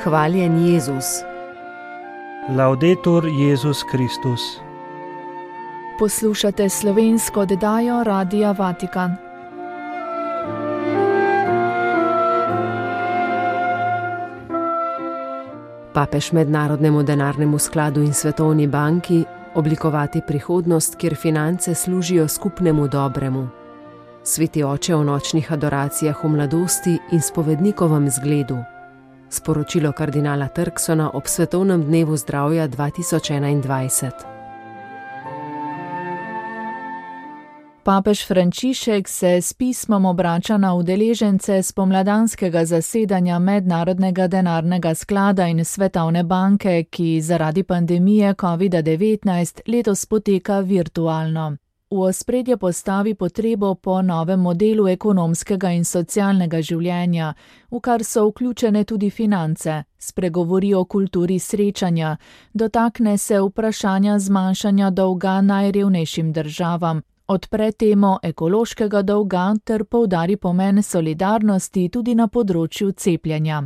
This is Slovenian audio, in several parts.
Hvaljen Jezus. Laudetur Jezus Kristus. Poslušate slovensko oddajo Radia Vatikan. Papež Mednarodnemu denarnemu skladu in Svetovni banki oblikovati prihodnost, kjer finance služijo skupnemu dobremu. Sveti oče o nočnih adoracijah v mladosti in spovednikovem zgledu. Sporočilo kardinala Turksona ob Svetovnem dnevu zdravja 2021. Papež Frančišek se s pismom obrača na udeležence spomladanskega zasedanja Mednarodnega denarnega sklada in Svetovne banke, ki zaradi pandemije COVID-19 letos poteka virtualno. V ospredje postavi potrebo po novem modelu ekonomskega in socialnega življenja, v kar so vključene tudi finance, spregovori o kulturi srečanja, dotakne se vprašanja zmanjšanja dolga najrevnejšim državam, odpre temo ekološkega dolga ter poudari pomen solidarnosti tudi na področju cepljenja.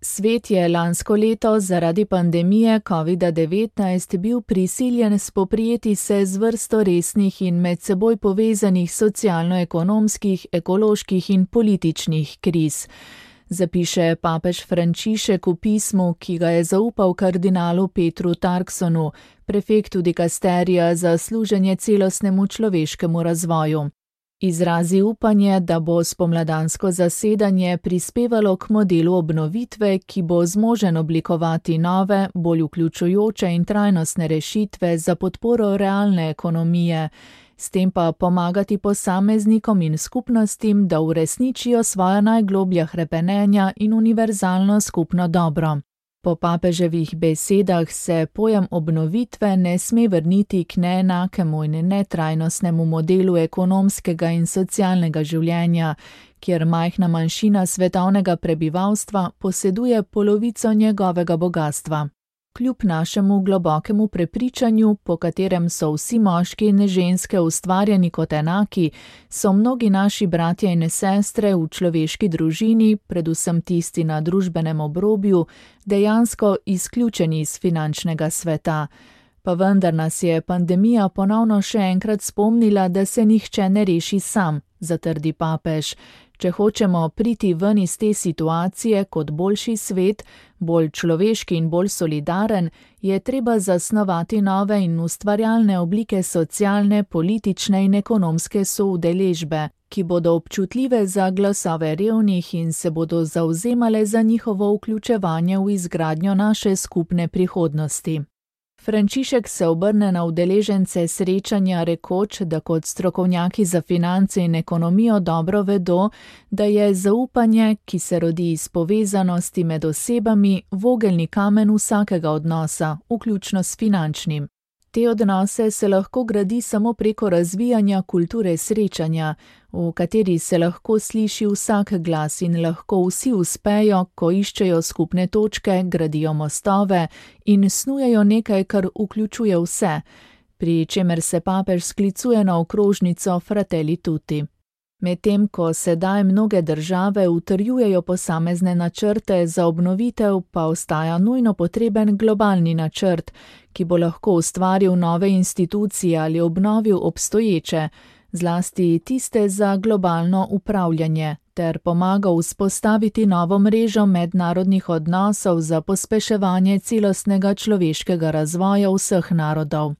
Svet je lansko leto zaradi pandemije COVID-19 bil prisiljen spoprijeti se z vrsto resnih in med seboj povezanih socialno-ekonomskih, ekoloških in političnih kriz. Zapiše papež Frančišek v pismu, ki ga je zaupal kardinalu Petru Turksonu, prefektu dikasterija za služenje celostnemu človeškemu razvoju. Izrazi upanje, da bo spomladansko zasedanje prispevalo k modelu obnovitve, ki bo zmožen oblikovati nove, bolj vključujoče in trajnostne rešitve za podporo realne ekonomije, s tem pa pomagati posameznikom in skupnostim, da uresničijo svoja najgloblja hrepenenja in univerzalno skupno dobro. Po papeževih besedah se pojem obnovitve ne sme vrniti k neenakemu in netrajnostnemu modelu ekonomskega in socialnega življenja, kjer majhna manjšina svetovnega prebivalstva poseduje polovico njegovega bogastva. Kljub našemu globokemu prepričanju, po katerem so vsi moški in ženske ustvarjeni kot enaki, so mnogi naši bratje in sestre v človeški družini, predvsem tisti na družbenem obrobju, dejansko izključeni iz finančnega sveta. Pa vendar nas je pandemija ponovno še enkrat spomnila, da se nihče ne reši sam, zatrdi papež. Če hočemo priti ven iz te situacije kot boljši svet, bolj človeški in bolj solidaren, je treba zasnovati nove in ustvarjalne oblike socialne, politične in ekonomske soudeležbe, ki bodo občutljive za glasove revnih in se bodo zavzemale za njihovo vključevanje v izgradnjo naše skupne prihodnosti. Frančišek se obrne na udeležence srečanja rekoč, da kot strokovnjaki za finance in ekonomijo dobro vedo, da je zaupanje, ki se rodi iz povezanosti med osebami, vogelni kamen vsakega odnosa, vključno s finančnim. Te odnose se lahko gradi samo preko razvijanja kulture srečanja, v kateri se lahko sliši vsak glas in lahko vsi uspejo, ko iščejo skupne točke, gradijo mostove in snujejo nekaj, kar vključuje vse, pri čemer se papež sklicuje na okrožnico Fratelli Tutti. Medtem ko sedaj mnoge države utrjujejo posamezne načrte za obnovitev, pa ostaja nujno potreben globalni načrt, ki bo lahko ustvaril nove institucije ali obnovil obstoječe, zlasti tiste za globalno upravljanje, ter pomagal vzpostaviti novo mrežo mednarodnih odnosov za pospeševanje celostnega človeškega razvoja vseh narodov.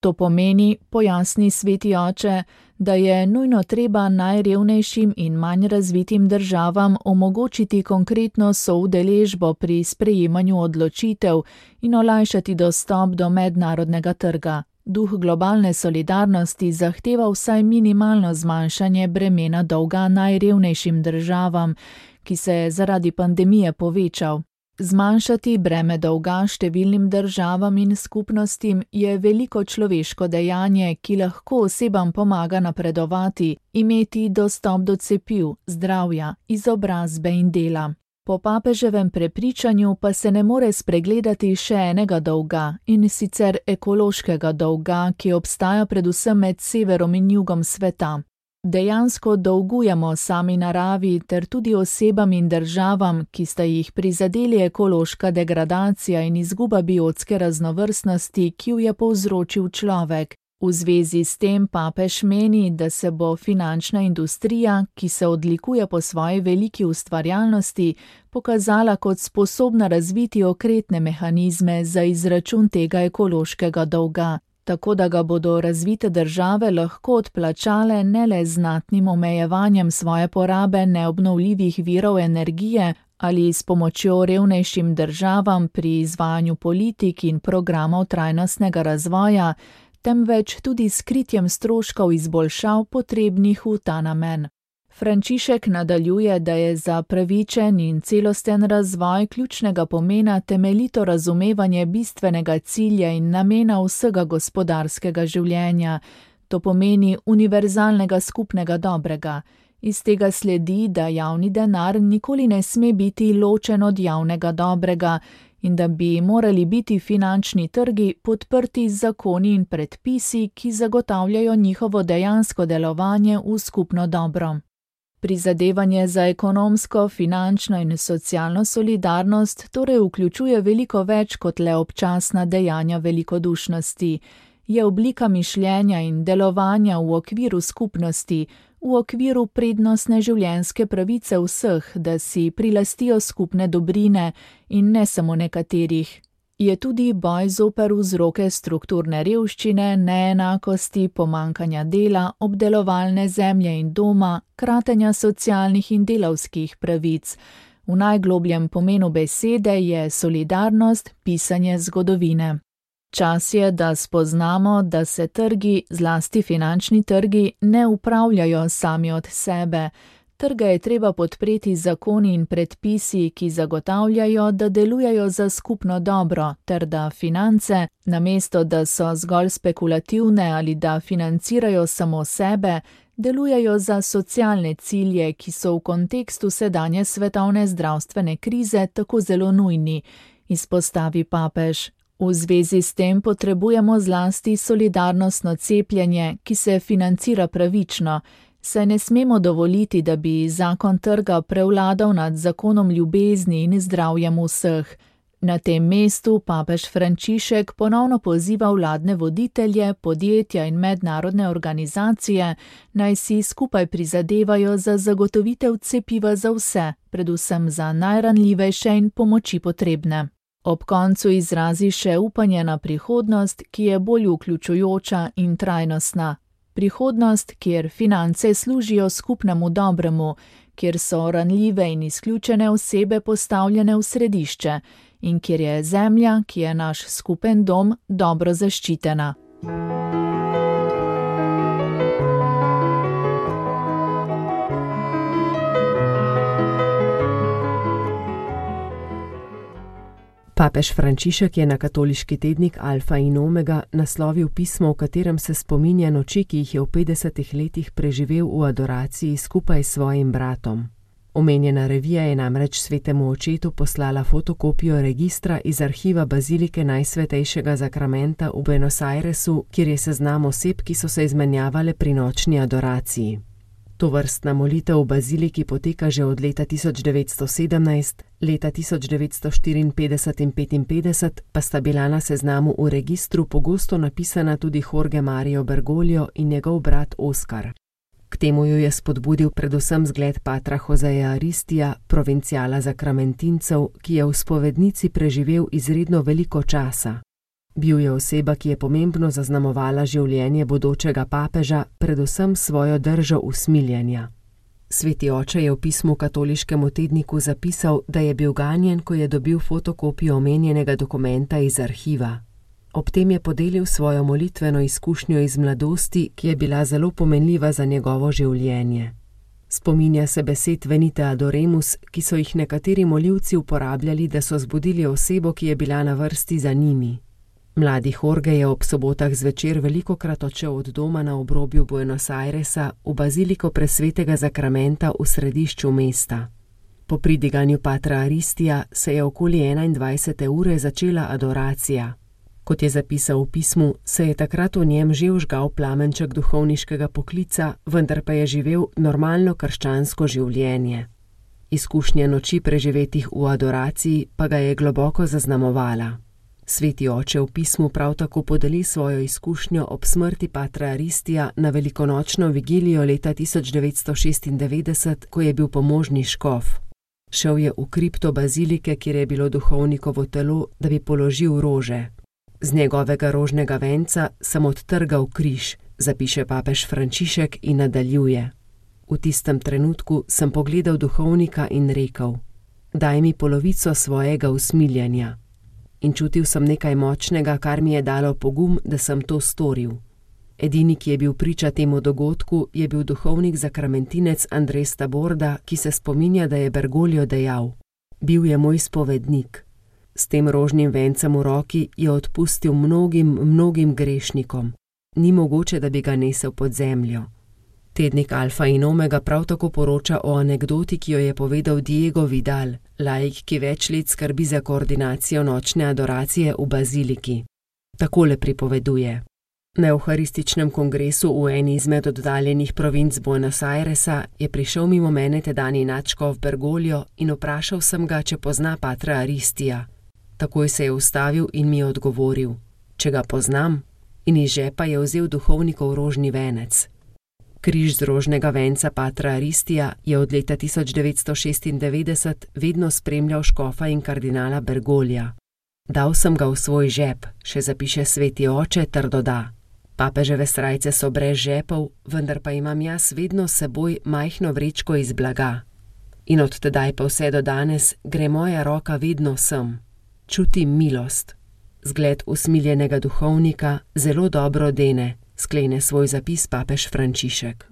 To pomeni, pojasni sveti oče, da je nujno treba najrevnejšim in manj razvitim državam omogočiti konkretno soudeležbo pri sprejemanju odločitev in olajšati dostop do mednarodnega trga. Duh globalne solidarnosti zahteva vsaj minimalno zmanjšanje bremena dolga najrevnejšim državam, ki se je zaradi pandemije povečal. Zmanjšati breme dolga številnim državam in skupnostim je veliko človeško dejanje, ki lahko osebam pomaga napredovati, imeti dostop do cepiv, zdravja, izobrazbe in dela. Po papeževem prepričanju pa se ne more spregledati še enega dolga, in sicer ekološkega dolga, ki obstaja predvsem med severom in jugom sveta. Dejansko dolgujemo sami naravi ter tudi osebam in državam, ki sta jih prizadeli ekološka degradacija in izguba biotske raznovrstnosti, ki jo je povzročil človek. V zvezi s tem papež meni, da se bo finančna industrija, ki se odlikuje po svoji veliki ustvarjalnosti, pokazala kot sposobna razviti okretne mehanizme za izračun tega ekološkega dolga, tako da ga bodo razvite države lahko odplačale ne le z znatnim omejevanjem svoje porabe neobnovljivih virov energije ali s pomočjo revnejšim državam pri izvajanju politik in programov trajnostnega razvoja, temveč tudi s kritjem stroškov izboljšav potrebnih v ta namen. Frančišek nadaljuje, da je za pravičen in celosten razvoj ključnega pomena temeljito razumevanje bistvenega cilja in namena vsega gospodarskega življenja, to pomeni univerzalnega skupnega dobrega. Iz tega sledi, da javni denar nikoli ne sme biti ločen od javnega dobrega in da bi morali biti finančni trgi podprti z zakoni in predpisi, ki zagotavljajo njihovo dejansko delovanje v skupno dobro. Prizadevanje za ekonomsko, finančno in socialno solidarnost torej vključuje veliko več kot le občasna dejanja velikodušnosti. Je oblika mišljenja in delovanja v okviru skupnosti, v okviru prednostne življenjske pravice vseh, da si prilastijo skupne dobrine in ne samo nekaterih. Je tudi boj zoper vzroke strukturne revščine, neenakosti, pomanjkanja dela, obdelovalne zemlje in doma, kratenja socialnih in delavskih pravic. V najglobljem pomenu besede je solidarnost pisanje zgodovine. Čas je, da spoznamo, da se trgi, zlasti finančni trgi, ne upravljajo sami od sebe. Trge je treba podpreti zakoni in predpisi, ki zagotavljajo, da delujejo za skupno dobro, ter da finance, namesto da so zgolj spekulativne ali da financirajo samo sebe, delujejo za socialne cilje, ki so v kontekstu sedanje svetovne zdravstvene krize tako zelo nujni, izpostavi papež. V zvezi s tem potrebujemo zlasti solidarnostno cepljenje, ki se financira pravično, saj ne smemo dovoliti, da bi zakon trga prevladal nad zakonom ljubezni in zdravjem vseh. Na tem mestu papež Frančišek ponovno poziva vladne voditelje, podjetja in mednarodne organizacije, naj si skupaj prizadevajo za zagotovitev cepiva za vse, predvsem za najranljivejše in pomoči potrebne. Ob koncu izrazi še upanje na prihodnost, ki je bolj vključujoča in trajnostna. Prihodnost, kjer finance služijo skupnemu dobremu, kjer so ranljive in izključene osebe postavljene v središče in kjer je zemlja, ki je naš skupen dom, dobro zaščitena. Papež Frančišek je na katoliški tednik Alfa in Omega naslovil pismo, v katerem se spominja noči, ki jih je v 50 letih preživel v adoraciji skupaj s svojim bratom. Omenjena revija je namreč svetemu očetu poslala fotokopijo registra iz arhiva bazilike Najsvetejšega zakramenta v Buenos Airesu, kjer je seznam oseb, ki so se izmenjavale pri nočni adoraciji. Tovrstna molitev v baziliki poteka že od leta 1917, leta 1954 in 1955 pa sta bila na seznamu v registru pogosto napisana tudi Jorge Mario Bergoglio in njegov brat Oskar. K temu jo je spodbudil predvsem zgled patra Joseja Aristija, provinciala zakramentincev, ki je v spovednici preživel izredno veliko časa. Bil je oseba, ki je pomembno zaznamovala življenje bodočega papeža, predvsem svojo držo usmiljenja. Sveti oče je v pismu katoliškemu tedniku zapisal, da je bil ganjen, ko je dobil fotokopijo omenjenega dokumenta iz arhiva. Ob tem je podelil svojo molitveno izkušnjo iz mladosti, ki je bila zelo pomenljiva za njegovo življenje. Spominja se besed Venite adoremus, ki so jih nekateri molivci uporabljali, da so zbudili osebo, ki je bila na vrsti za njimi. Mladi Jorge je ob sobotah zvečer velikokrat odšel od doma na obrobju Buenos Airesa v baziliko presvetega zakramenta v središču mesta. Po pridiganju patra Aristija se je okoli 21. ure začela adoracija. Kot je zapisal v pismu, se je takrat v njem že vžgal plamenček duhovniškega poklica, vendar pa je živel normalno krščansko življenje. Izkušnja noči preživetih v adoraciji pa ga je globoko zaznamovala. Sveti oče v pismu prav tako podeli svojo izkušnjo ob smrti patra Aristija na velikonočno vigilijo leta 1996, ko je bil pomožni škof. Šel je v kripto bazilike, kjer je bilo duhovnikovo telo, da bi položil rože. Z njegovega rožnega venca sem odtrgal križ, zapiše papež Frančišek in nadaljuje. V tistem trenutku sem pogledal duhovnika in rekel: daj mi polovico svojega usmiljenja. In čutil sem nekaj močnega, kar mi je dalo pogum, da sem to storil. Edini, ki je bil priča temu dogodku, je bil duhovnik zakramentinec Andres Taborda, ki se spominja, da je Bergoglio dejal: bil je moj spovednik. S tem rožnim vencem v roki je odpustil mnogim grešnikom. Ni mogoče, da bi ga nesel pod zemljo. Tednik Alfa in Omega prav tako poroča o anekdoti, ki jo je povedal Diego Vidal, laik, ki več let skrbi za koordinacijo nočne adoracije v baziliki. Takole pripoveduje. Na evharističnem kongresu v eni izmed oddaljenih provinc Buenos Airesa je prišel mimo mene tedajni nadškof Bergoglio in vprašal sem ga, če pozna patra Aristija. Takoj se je ustavil in mi je odgovoril: če ga poznam, in iz žepa je vzel duhovnikov rožni venec. Križ z rožnega venca patra Aristija je od leta 1996 vedno spremljal škofa in kardinala Bergoglija. Dal sem ga v svoj žep, še zapiše sveti oče ter doda: papeževe srajce so brez žepov, vendar pa imam jaz vedno s seboj majhno vrečko iz blaga. In od tedaj pa vse do danes gre moja roka vedno sem. Čutim milost. Zgled usmiljenega duhovnika zelo dobro dene, sklene svoj zapis papež Frančišek.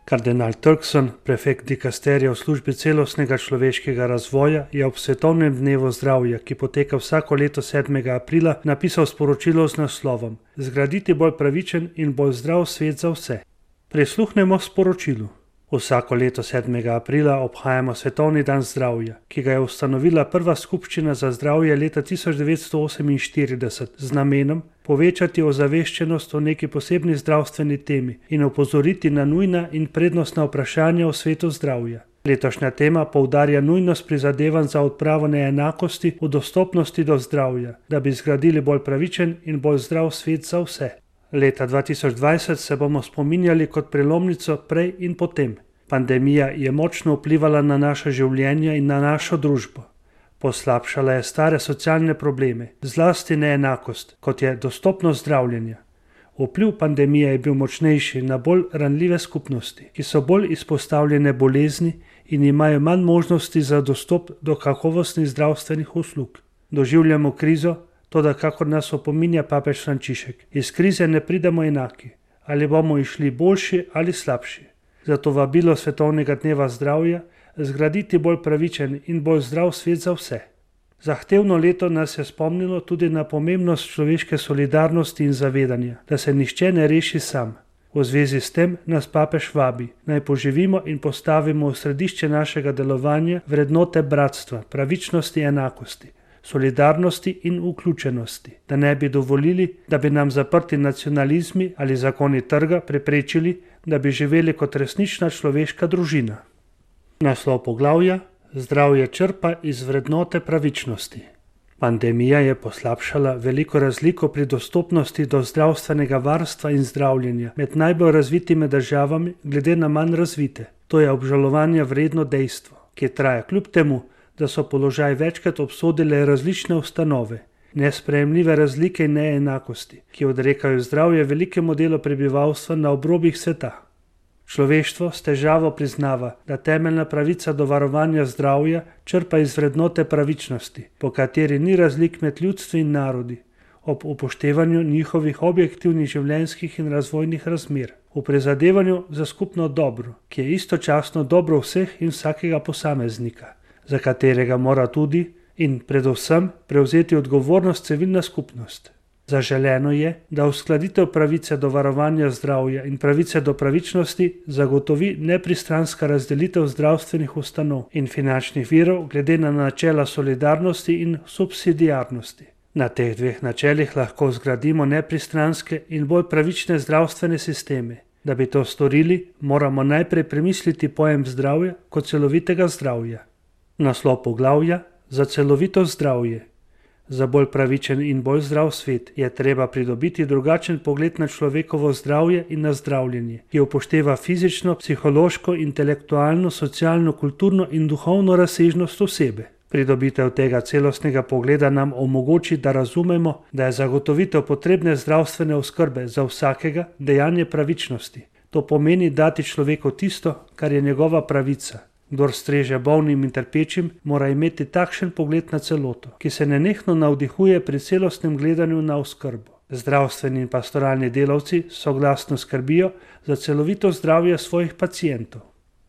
Kardinal Turkson, prefekt dikasterija v službi celostnega človeškega razvoja, je ob svetovnem dnevu zdravja, ki poteka vsako leto 7. aprila, napisal sporočilo z naslovom: Zgraditi bolj pravičen in bolj zdrav svet za vse. Prisluhnemo sporočilu. Vsako leto 7. aprila obhajamo Svetovni dan zdravja, ki ga je ustanovila prva skupščina za zdravje leta 1948 z namenom povečati ozaveščenost o neki posebni zdravstveni temi in opozoriti na nujna in prednostna vprašanja v svetu zdravja. Letošnja tema poudarja nujnost prizadevanj za odpravo neenakosti v dostopnosti do zdravja, da bi zgradili bolj pravičen in bolj zdrav svet za vse. Leta 2020 se bomo spominjali kot prelomnico prej in potem. Pandemija je močno vplivala na naša življenja in na našo družbo. Poslabšala je stare socialne probleme, zlasti neenakost, kot je dostopnost zdravljenja. Vpliv pandemije je bil močnejši na bolj ranljive skupnosti, ki so bolj izpostavljene bolezni in imajo manj možnosti za dostop do kakovostnih zdravstvenih uslug. Doživljamo krizo, toda kakor nas opominja papež Frančišek, iz krize ne pridemo enaki, ali bomo išli boljši ali slabši. Zato vabilo Svetovnega dneva zdravja zgraditi bolj pravičen in bolj zdrav svet za vse. Zahtevno leto nas je spomnilo tudi na pomembnost človeške solidarnosti in zavedanja, da se nihče ne reši sam. V zvezi s tem nas papež vabi, naj poživimo in postavimo v središče našega delovanja vrednote bratstva, pravičnosti, enakosti, solidarnosti in vključenosti, da ne bi dovolili, da bi nam zaprti nacionalizmi ali zakoni trga preprečili, da bi živeli kot resnična človeška družina. Naslov poglavja: Zdravje črpa iz vrednote pravičnosti. Pandemija je poslabšala veliko razliko pri dostopnosti do zdravstvenega varstva in zdravljenja med najbolj razvitimi državami glede na manj razvite. To je obžalovanja vredno dejstvo, ki traja kljub temu, da so položaj večkrat obsodile različne ustanove. Nesprejemljive razlike in neenakosti, ki odrekajo zdravje velikemu delu prebivalstva na obrobjih sveta. Človeštvo s težavo priznava, da temeljna pravica do varovanja zdravja črpa iz vrednote pravičnosti, po kateri ni razlik med ljudstvi in narodi, ob upoštevanju njihovih objektivnih življenjskih in razvojnih razmer, v prizadevanju za skupno dobro, ki je istočasno dobro vseh in vsakega posameznika, za katerega mora tudi in predvsem prevzeti odgovornost civilna skupnost. Zaželeno je, da uskladitev pravice do varovanja zdravja in pravice do pravičnosti zagotovi nepristranska razdelitev zdravstvenih ustanov in finančnih virov glede na načela solidarnosti in subsidiarnosti. Na teh dveh načelih lahko zgradimo nepristranske in bolj pravične zdravstvene sisteme. Da bi to storili, moramo najprej premisliti pojem zdravja kot celovitega zdravja. Naslov poglavja: za celovito zdravje. Za bolj pravičen in bolj zdrav svet je treba pridobiti drugačen pogled na človekovo zdravje in na zdravljenje, ki upošteva fizično, psihološko, intelektualno, socialno, kulturno in duhovno razsežnost osebe. Pridobitev tega celostnega pogleda nam omogoči, da razumemo, da je zagotovitev potrebne zdravstvene oskrbe za vsakega dejanje pravičnosti. To pomeni dati človeku tisto, kar je njegova pravica. Kdor streže bolnim in trpečim, mora imeti takšen pogled na celoto, ki se nenehno navdihuje pri celostnem gledanju na oskrbo. Zdravstveni in pastoralni delavci soglasno skrbijo za celovito zdravje svojih pacientov.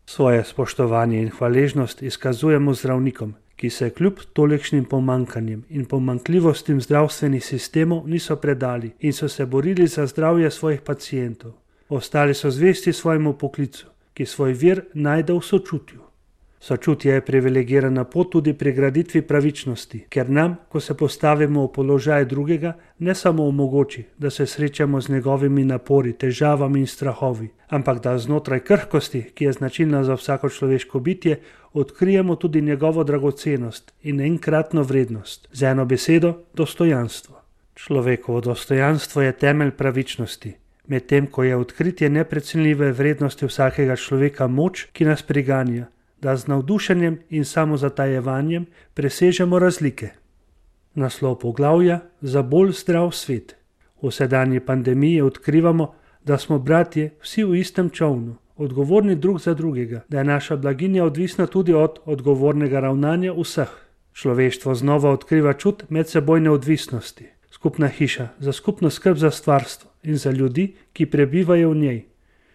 Svoje spoštovanje in hvaležnost izkazujemo zdravnikom, ki se kljub tolikšnim pomanjkanjem in pomanjkljivostim zdravstvenih sistemov niso predali in so se borili za zdravje svojih pacientov. Ostali so zvesti svojemu poklicu, ki svoj vir najde v sočutju. Sočutje je privilegirana pot tudi pri graditvi pravičnosti, ker nam, ko se postavimo v položaj drugega, ne samo omogoči, da se srečamo z njegovimi napori, težavami in strahovi, ampak da znotraj krhkosti, ki je značilna za vsako človeško bitje, odkrijemo tudi njegovo dragocenost in enkratno vrednost, z eno besedo dostojanstvo. Človekovo dostojanstvo je temelj pravičnosti, medtem ko je odkritje neprecenljive vrednosti vsakega človeka moč, ki nas priganja, da z navdušenjem in samozatajevanjem presežemo razlike. Naslov poglavja: za bolj zdrav svet. V sedanji pandemiji odkrivamo, da smo bratje vsi v istem čolnu, odgovorni drug za drugega, da je naša blaginja odvisna tudi od odgovornega ravnanja vseh. Človeštvo znova odkriva čut medsebojne odvisnosti. Skupna hiša za skupno skrb za stvarstvo in za ljudi, ki prebivajo v njej.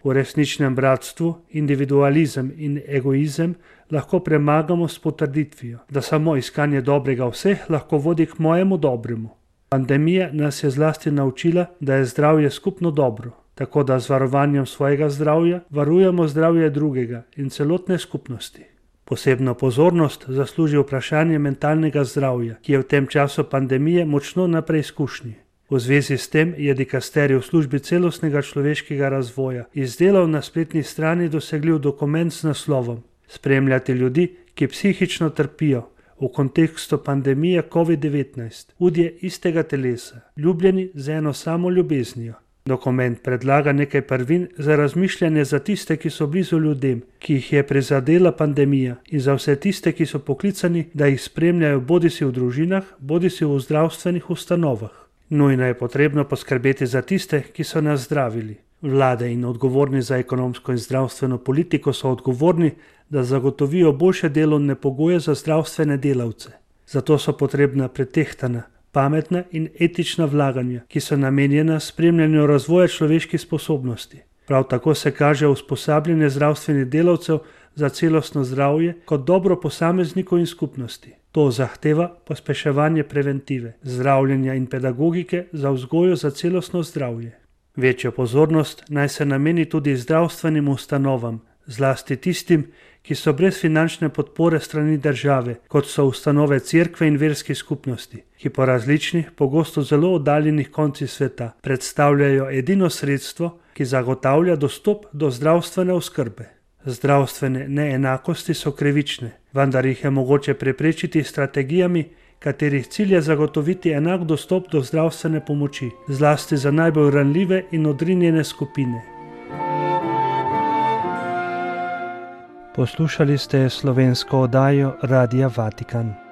V resničnem bratstvu individualizem in egoizem lahko premagamo s potrditvijo, da samo iskanje dobrega vseh lahko vodi k mojemu dobremu. Pandemija nas je zlasti naučila, da je zdravje skupno dobro, tako da z varovanjem svojega zdravja varujemo zdravje drugega in celotne skupnosti. Posebno pozornost zasluži vprašanje mentalnega zdravja, ki je v tem času pandemije močno na preizkušnji. V zvezi s tem je dikasterij v službi celostnega človeškega razvoja izdelal na spletni strani dosegljiv dokument z naslovom Spremljati ljudi, ki psihično trpijo v kontekstu pandemije COVID-19, udje istega telesa, ljubljeni z eno samo ljubeznijo. Dokument predlaga nekaj prvin za razmišljanje za tiste, ki so blizu ljudem, ki jih je prizadela pandemija, in za vse tiste, ki so poklicani, da jih spremljajo bodisi v družinah, bodisi v zdravstvenih ustanovah. Nujno je potrebno poskrbeti za tiste, ki so nas zdravili. Vlade in odgovorni za ekonomsko in zdravstveno politiko so odgovorni, da zagotovijo boljše delovne pogoje za zdravstvene delavce. Zato so potrebna pretehtana, pametna in etična vlaganja, ki so namenjena spremljanju razvoja človeških sposobnosti. Prav tako se kaže usposabljanje zdravstvenih delavcev za celostno zdravje kot dobro posameznikov in skupnosti. To zahteva pospeševanje preventive, zdravljenja in pedagogike za vzgojo za celostno zdravje. Večjo pozornost naj se nameni tudi zdravstvenim ustanovam, zlasti tistim, ki so brez finančne podpore strani države, kot so ustanove cerkve in verskih skupnosti, ki po različnih, pogosto zelo oddaljenih koncih sveta predstavljajo edino sredstvo, ki zagotavlja dostop do zdravstvene oskrbe. Zdravstvene neenakosti so krivične, vendar jih je mogoče preprečiti s strategijami, katerih cilj je zagotoviti enak dostop do zdravstvene pomoči, zlasti za najbolj ranljive in odrinjene skupine. Poslušali ste slovensko oddajo Radia Vatikan.